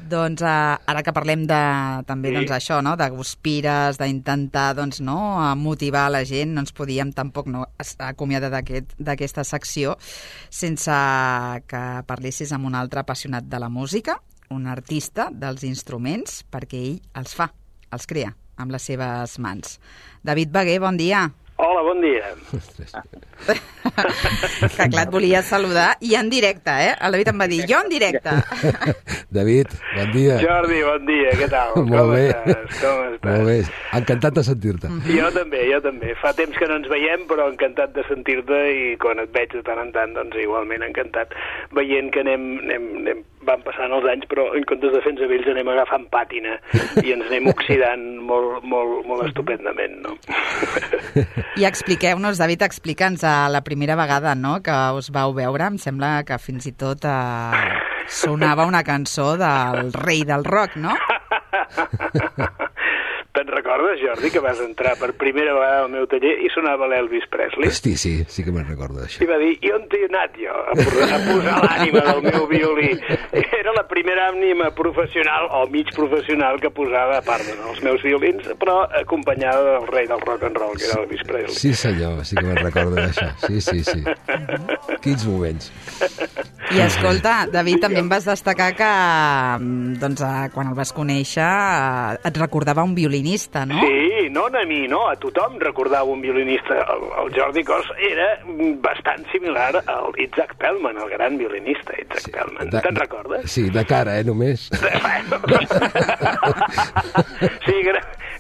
Doncs ara que parlem també això, no?, de guspires, d'intentar motivar la gent, no ens podíem tampoc acomiadar d'aquesta secció sense que parlessis amb un altre apassionat de la música, un artista dels instruments, perquè ell els crea amb les seves mans. David Bagué, bon dia. Hola, bon dia. Que clar, et volia saludar i en directe, El David em va dir, jo en directe. David, bon dia. Jordi, bon dia, què tal? Molt bé. Com estàs? Molt bé, encantat de sentir-te. Jo també. Fa temps que no ens veiem, però encantat de sentir-te i quan et veig de tant en tant, doncs igualment encantat. Veient que van passant els anys, però en comptes de fer-nos vells anem agafant pàtina i ens anem oxidant molt estupendament, no? I expliqueu-nos, David, explica'ns la primera vegada, no?, que us vau veure. Em sembla que fins i tot sonava una cançó del rei del rock, no? Te'n recordes, Jordi, que vas entrar per primera vegada al meu taller i sonava l'Elvis Presley? Hosti, sí que me'n recordo d'això. I va dir, i on t'he anat jo a posar l'ànima del meu violí? Era la primera ànima professional o mig professional que posava, a part dels meus violins, però acompanyada del rei del rock and roll, que era l'Elvis Presley. Sí, senyor, sí que me'n recordo d'això. Sí. Quins moments. I escolta, David, també em vas destacar que quan el vas conèixer et recordava un violinista, no? Sí, no a mi, no, a tothom recordava un violinista. El Jordi Cos era bastant similar al Itzhak Perlman, el gran violinista Itzhak Perlman. Te'n recordes? Sí, de cara, només. Sí,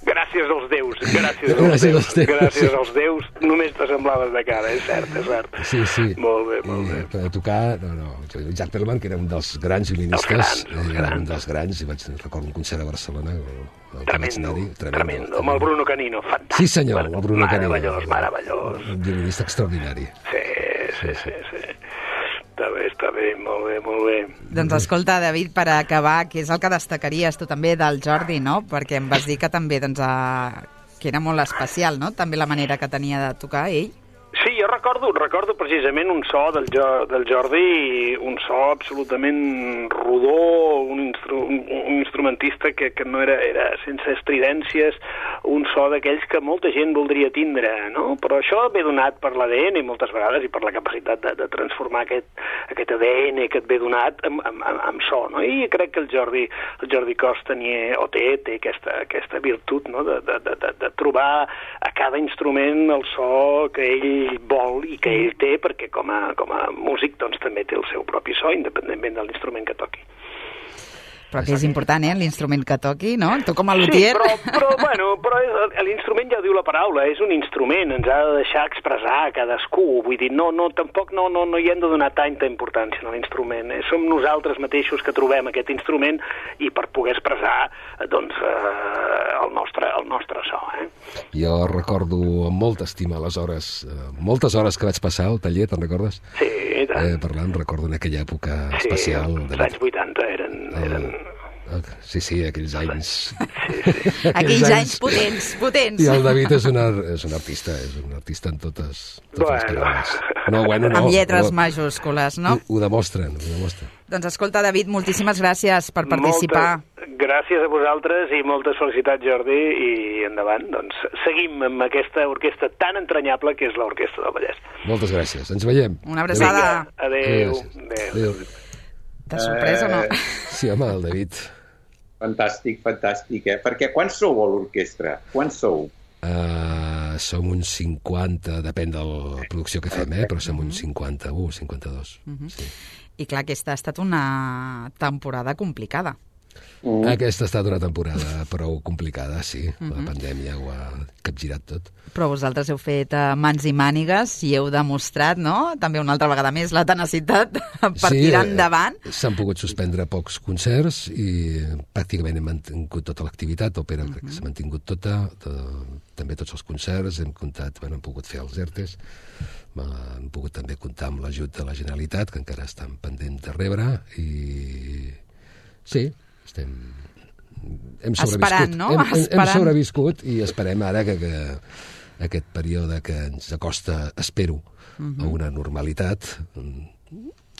gràcies als déus. Gràcies als déus, només t'assemblaves de cara, és cert. Sí. Molt bé. Per tocar, Itzhak Perlman, que era un dels grans violinistes, un dels grans, i recordo un concert a Barcelona, Tremendo, amb el Bruno Canino, fantàstic. Sí, senyor, el Bruno Canino. Meravellós. Un violinista extraordinari. Sí. Està bé, molt bé. Doncs escolta, David, per acabar, què és el que destacaries tu també del Jordi, no? Perquè em vas dir que també, que era molt especial, no? També la manera que tenia de tocar ell. Sí, jo recordo precisament un so del Jordi, un so absolutament rodó, un instrumentista que no era sense estridències, un so d'aquells que molta gent voldria tindre, no? Però això ve donat per l'ADN moltes vegades i per la capacitat de transformar aquest ADN que et ve donat amb so, no? I crec que el Jordi Cos tenia, o té aquesta virtut, no? De trobar a cada instrument el so que ell vol i que ell té, perquè com a músic doncs també té el seu propi so, independentment de l'instrument que toqui. Però que és important, l'instrument que toqui, no? Tu com a luthier... Sí, però l'instrument ja ho diu la paraula, és un instrument, ens ha de deixar expressar cadascú, vull dir, tampoc no hi hem de donar tanta importància a l'instrument, som nosaltres mateixos que trobem aquest instrument i per poder expressar, doncs, el nostre so, Jo recordo amb molta estima moltes hores que vaig passar al taller, te'n recordes? Sí, i tant. Parlant, recordo en aquella època especial. Sí, els anys 80 eren... Sí, aquells anys... Sí. Aquells anys potents. I el David és un artista en totes les coses. No. Amb lletres majúscules, no? Ho demostren. Doncs escolta, David, moltíssimes gràcies per participar. Gràcies a vosaltres i moltes felicitats, Jordi, i endavant. Doncs seguim amb aquesta orquestra tan entranyable que és l'Orquestra del Vallès. Moltes gràcies. Ens veiem. Una abraçada. Adéu. T'ha sorprès o no? Sí, home, el David. Fantàstic, perquè quan sou a l'orquestra? Quan sou? som uns 50, depèn de la producció que fem, però som uns 51, 52. Sí. I clar, aquesta ha estat una temporada complicada. Aquesta ha estat una temporada prou complicada, sí. La pandèmia ho ha capgirat tot. Però vosaltres heu fet mans i mànigues i heu demostrat, no?, també una altra vegada més, la tenacitat per tirar endavant. S'han pogut suspendre pocs concerts i pràcticament hem mantingut tota l'activitat. Òpera crec que s'ha mantingut tota, també tots els concerts. Hem comptat, hem pogut fer els ERTEs, hem pogut també comptar amb l'ajut de la Generalitat, que encara estan pendents de rebre, i sí, hem sobreviscut. Esperant, no? Hem sobreviscut i esperem ara que aquest període que ens acosta, espero, a una normalitat,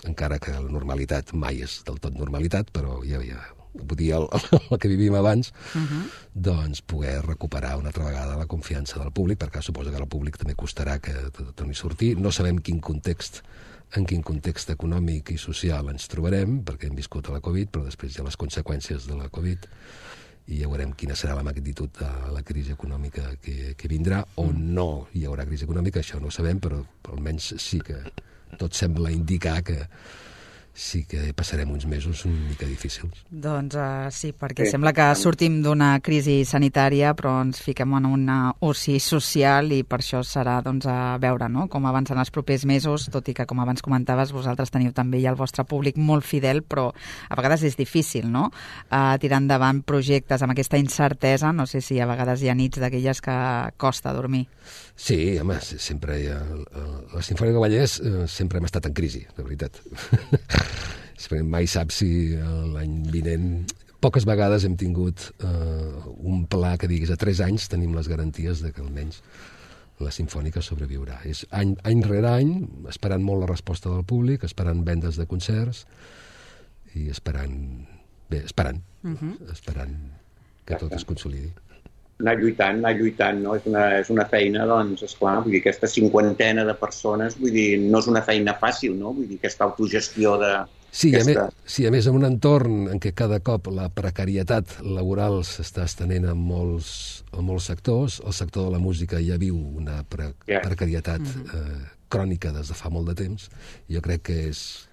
encara que la normalitat mai és del tot normalitat, però ja vull dir, el que vivim abans, doncs poder recuperar una altra vegada la confiança del públic, perquè suposo que al públic també costarà que torni a sortir. No sabem en quin context econòmic i social ens trobarem, perquè hem viscut a la Covid, però després hi ha les conseqüències de la Covid, i ja veurem quina serà la magnitud de la crisi econòmica que vindrà, o no hi haurà crisi econòmica, això no ho sabem, però almenys sí que tot sembla indicar que sí que passarem uns mesos una mica difícils. Doncs sí, perquè sembla que sortim d'una crisi sanitària, però ens fiquem en una oci social, i per això serà doncs, a veure, no?, com avancen els propers mesos, tot i que, com abans comentaves, vosaltres teniu també ja el vostre públic molt fidel, però a vegades és difícil, no?, tirar endavant projectes amb aquesta incertesa. No sé si a vegades hi ha nits d'aquelles que costa dormir. Sí, home, sempre hi ha... La Simfònica del Vallès sempre hem estat en crisi, de veritat. Mai saps si l'any vinent... Poques vegades hem tingut un pla que diguis a 3 anys tenim les garanties de que almenys la Simfònica sobreviurà. És any rere any, esperant molt la resposta del públic, esperant vendes de concerts i esperant que tot es consolidi. Anar lluitant, no? És una feina, doncs, esclar, vull dir, aquesta 50ena de persones, vull dir, no és una feina fàcil, no? Vull dir, aquesta autogestió de... Sí, a més, en un entorn en què cada cop la precarietat laboral s'està estenent a molts sectors, el sector de la música ja viu una precarietat crònica des de fa molt de temps. Jo crec que és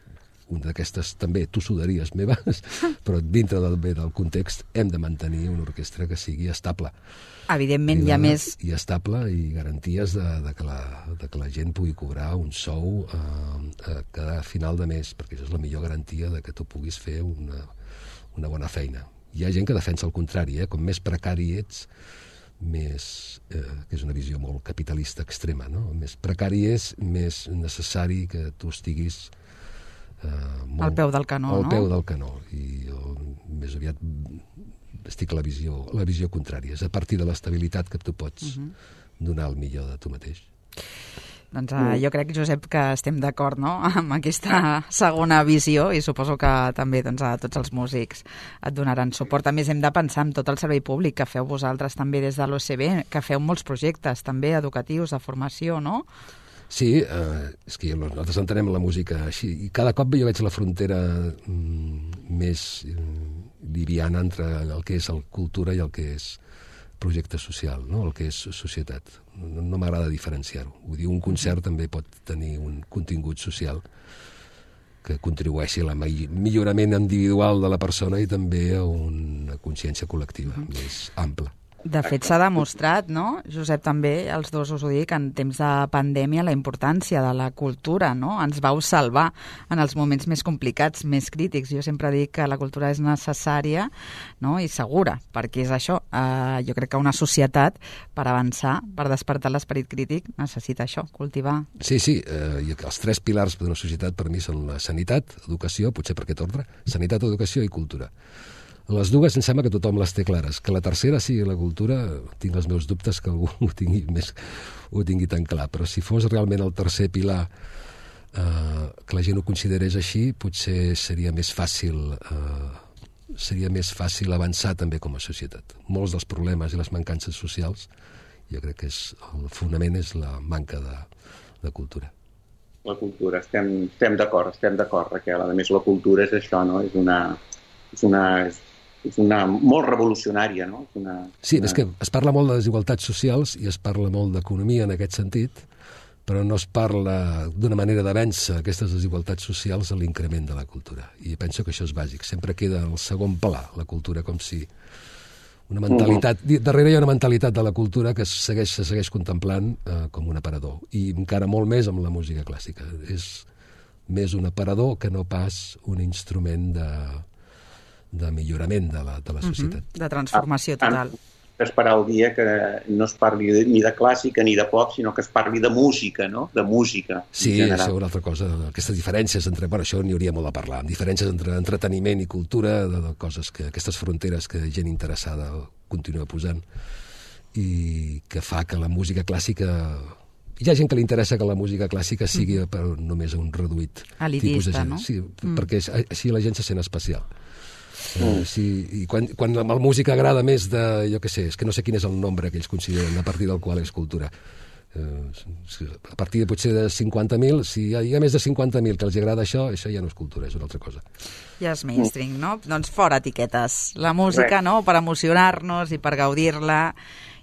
una d'aquestes també tossuderies meves, però dintre del context hem de mantenir una orquestra que sigui estable. Evidentment hi ha més... I estable, i garanties de que la gent pugui cobrar un sou a cada final de mes, perquè això és la millor garantia de que tu puguis fer una bona feina. Hi ha gent que defensa el contrari, com més precari ets, més, que és una visió molt capitalista extrema, no? Més precari és, més necessari que tu estiguis al peu del canó, al peu del canó. I jo més aviat estic a la visió contrària. És a partir de l'estabilitat que tu pots donar el millor de tu mateix. Doncs jo crec, Josep, que estem d'acord, no?, amb aquesta segona visió, i suposo que també doncs, a tots els músics et donaran suport. A més, hem de pensar en tot el servei públic que feu vosaltres també des de l'OCB, que feu molts projectes també educatius, de formació, no? Sí, és que nosaltres entenem la música així, i cada cop jo veig la frontera més liviana entre el que és el cultura i el que és projecte social, no? El que és societat. No m'agrada diferenciar-ho. Vull dir, un concert també pot tenir un contingut social que contribueixi al millorament individual de la persona i també a una consciència col·lectiva més ampla. De fet, s'ha demostrat, no, Josep, també, els dos us ho dic, en temps de pandèmia, la importància de la cultura, no? Ens vau salvar en els moments més complicats, més crítics. Jo sempre dic que la cultura és necessària, no?, i segura, perquè és això. Jo crec que una societat, per avançar, per despertar l'esperit crític, necessita això, cultivar. Sí, i els 3 pilars d'una societat per mi són la sanitat, educació, potser per aquest ordre, sanitat, educació i cultura. Les dues em sembla que tothom les té clares. Que la tercera sigui la cultura, tinc els meus dubtes que algú ho tingui tan clar. Però si fos realment el tercer pilar, que la gent ho considerés així, potser seria més fàcil avançar també com a societat. Molts dels problemes i les mancances socials, jo crec que el fonament és la manca de cultura. La cultura, estem d'acord, Raquel. A més, la cultura és això, no? És molt revolucionària, no? Sí, és que es parla molt de desigualtats socials i es parla molt d'economia en aquest sentit, però no es parla d'una manera de vèncer aquestes desigualtats socials a l'increment de la cultura. I penso que això és bàsic. Sempre queda al segon pla, la cultura, com si una mentalitat... Darrere hi ha una mentalitat de la cultura que se segueix contemplant com un aparador. I encara molt més amb la música clàssica. És més un aparador que no pas un instrument de millorament de la societat. De transformació total. Esperar el dia que no es parli ni de clàssica ni de pop, sinó que es parli de música, no? De música. Sí, això és una altra cosa. Aquestes diferències entre... Bueno, això n'hi hauria molt a parlar. Diferències entre entreteniment i cultura, de coses que... Aquestes fronteres que gent interessada continua posant i que fa que la música clàssica... Hi ha gent que li interessa que la música clàssica sigui només un reduït tipus de gent. No? Sí, perquè així la gent se sent especial. Sí, i quan la música agrada més de, jo què sé, és que no sé quin és el nombre que ells consideren a partir del qual és cultura. A partir de potser de 50.000, si hi ha més de 50.000 que els agrada això ja no és cultura, és una altra cosa. Ja és mainstream, no? Doncs fora etiquetes. La música, no?, per emocionar-nos i per gaudir-la,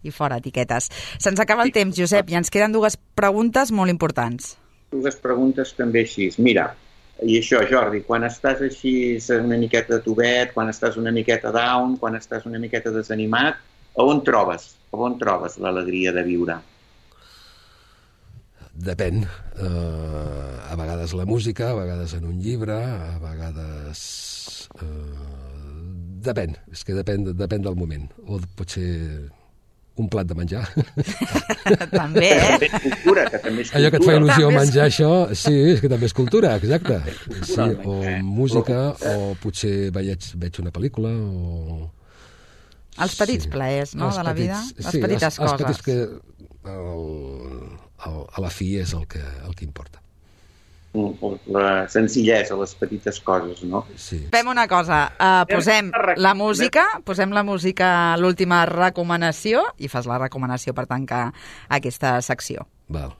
i fora etiquetes. Se'ns acaba el temps, Josep, i ens queden dues preguntes molt importants. Dues preguntes també així. Mira, i això, Jordi, quan estàs així una miqueta tubet, quan estàs una miqueta down, quan estàs una miqueta desanimat, on trobes l'alegria de viure? Depèn. A vegades la música, a vegades en un llibre, a vegades... Depèn, és que depèn del moment. O potser un plat de menjar. També, eh? Cultura, que també és cultura. Allò que et fa il·lusió menjar això, sí, és que també és cultura, exacte. Sí, o música, o potser veig una pel·lícula, o... Els petits plaers, no?, de la vida. Les petites coses. Els petits que a la fi és el que importa. La senzillesa, les petites coses, no? Sí. Fem una cosa, posem la música, l'última recomanació, i fas la recomanació per tancar aquesta secció. Val.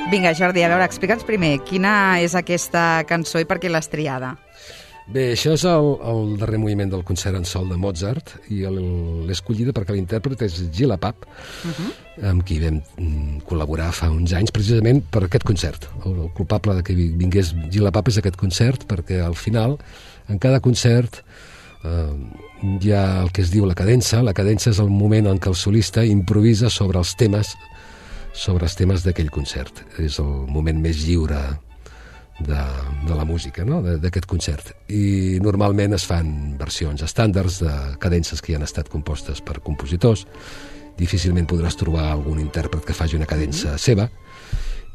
Vinga, Jordi, a veure, explica'ns primer quina és aquesta cançó i per què l'has triada. Bé, això és el darrer moviment del concert en sol de Mozart i l'he escollida perquè l'intèrpret és Gila Pap, amb qui vam col·laborar fa uns anys precisament per aquest concert. El culpable de que vingués Gila Pap és aquest concert perquè al final, en cada concert, hi ha el que es diu la cadença. La cadença és el moment en què el solista improvisa sobre els temes d'aquell concert. És el moment més lliure de la música, no?, d'aquest concert. I normalment es fan versions estàndards de cadences que ja han estat compostes per compositors. Difícilment podràs trobar algun intèrpret que faci una cadença seva.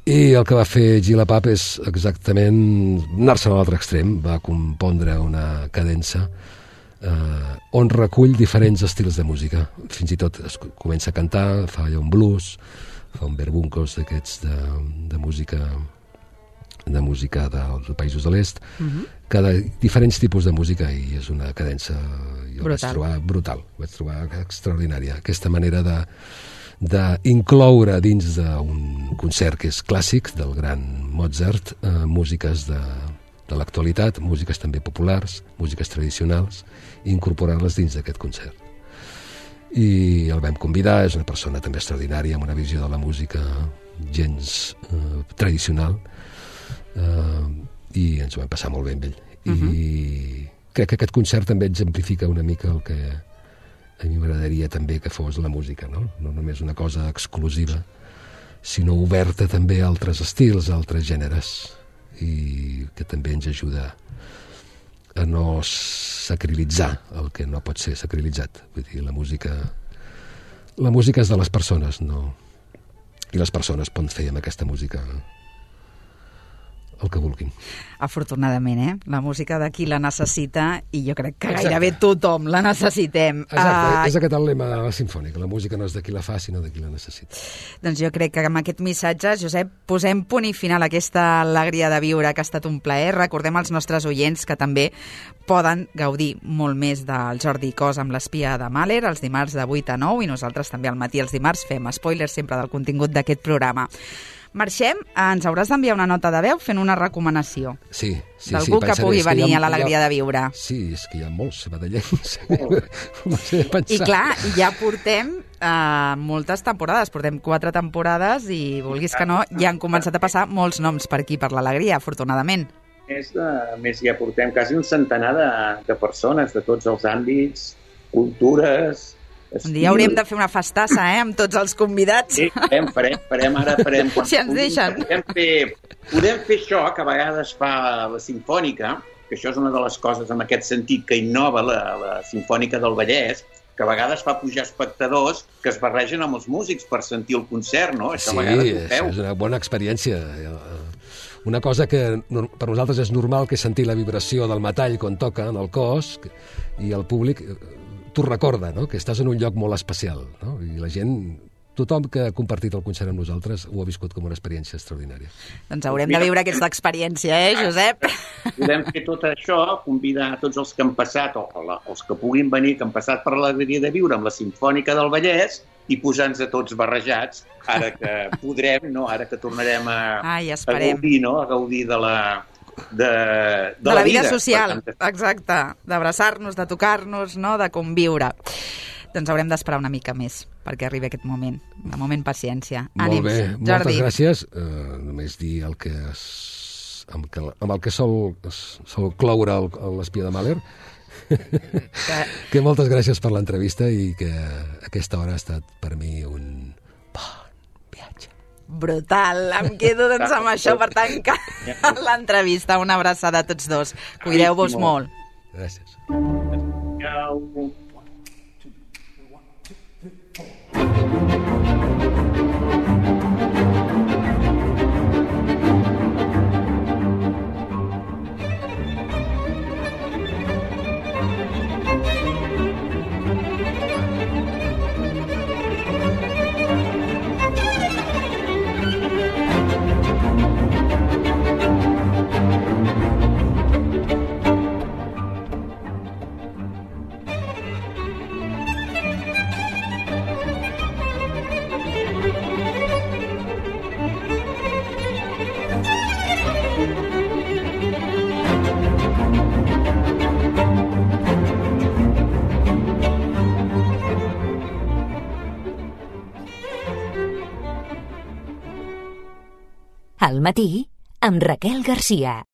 I el que va fer Gila Pap és exactament anar-se'n a l'altre extrem. Va compondre una cadença on recull diferents estils de música. Fins i tot es comença a cantar, fa allò un blues, fa un verbuncos d'aquests de música dels països de l'est, diferents tipus de música, i és una cadença, jo vaig trobar brutal, vaig trobar extraordinària. Aquesta manera d'incloure dins d'un concert que és clàssic del gran Mozart, músiques de l'actualitat, músiques també populars, músiques tradicionals, i incorporar-les dins d'aquest concert. I el vam convidar, és una persona també extraordinària, amb una visió de la música gens tradicional, i ens ho vam passar molt bé amb ell. I crec que aquest concert també exemplifica una mica A mi m'agradaria també que fos la música, no? No només una cosa exclusiva, sinó oberta també a altres estils, a altres gèneres, i que també ens ajuda a no sacrilitzar el que no pot ser sacrilitzat. Vull dir, la música és de les persones, no? I les persones poden fer amb aquesta música el que vulguin. Afortunadament, la música de qui la necessita, i jo crec que gairebé tothom la necessitem. Exacte, és aquest el lema sinfònic, la música no és de qui la fa, sinó de qui la necessita. Doncs jo crec que amb aquest missatge, Josep, posem punt i final a aquesta alegria de viure, que ha estat un plaer. Recordem als nostres oients que també poden gaudir molt més del Jordi Cos amb l'Espia de Mahler, els dimarts de 8 a 9, i nosaltres també al matí els dimarts fem spoilers sempre del contingut d'aquest programa. Marxem, ens hauràs d'enviar una nota de veu fent una recomanació. Sí. D'algú que pugui venir a l'alegria de viure. Sí, és que hi ha molts sabadellencs. I clar, ja portem moltes temporades, portem 4 temporades i, vulguis que no, ja han començat a passar molts noms per aquí, per l'alegria, afortunadament. A més, ja portem quasi un centenar de persones de tots els àmbits, cultures... Un dia hauríem de fer una festassa, amb tots els convidats. Sí, farem ara. Si ens deixen. Podem fer això, que a vegades fa la Simfònica, que això és una de les coses en aquest sentit que innova la Simfònica del Vallès, que a vegades fa pujar espectadors que es barregen amb els músics per sentir el concert, no? Això sí, és una bona experiència. Una cosa que per nosaltres és normal, que és sentir la vibració del metall quan toca en el cos, i el públic t'ho recorda, no? Que estàs en un lloc molt especial, no? I la gent, tothom que ha compartit el concert amb nosaltres ho ha viscut com una experiència extraordinària. Doncs haurem de viure aquesta experiència, Josep? Podem fer tot això, convidar tots els que han passat, o els que puguin venir, que han passat per l'alegria de viure amb la Simfònica del Vallès, i posar-nos a tots barrejats, ara que podrem, no? Ara que tornarem a gaudir, no? A gaudir de la vida social, exacte, d'abraçar-nos, de tocar-nos, no? De conviure. Doncs haurem d'esperar una mica més perquè arribi aquest moment. De moment, paciència. Ànims, molt bé, Jordi. Moltes gràcies. Només dir amb el que sol cloure l'Espia de Mahler, que moltes gràcies per l'entrevista i que aquesta hora ha estat per mi un bon viatge. Brutal, em quedo doncs amb això per tancar l'entrevista. Una abraçada a tots dos. Cuideu-vos molt. Gràcies. Al matí, amb Raquel Garcia.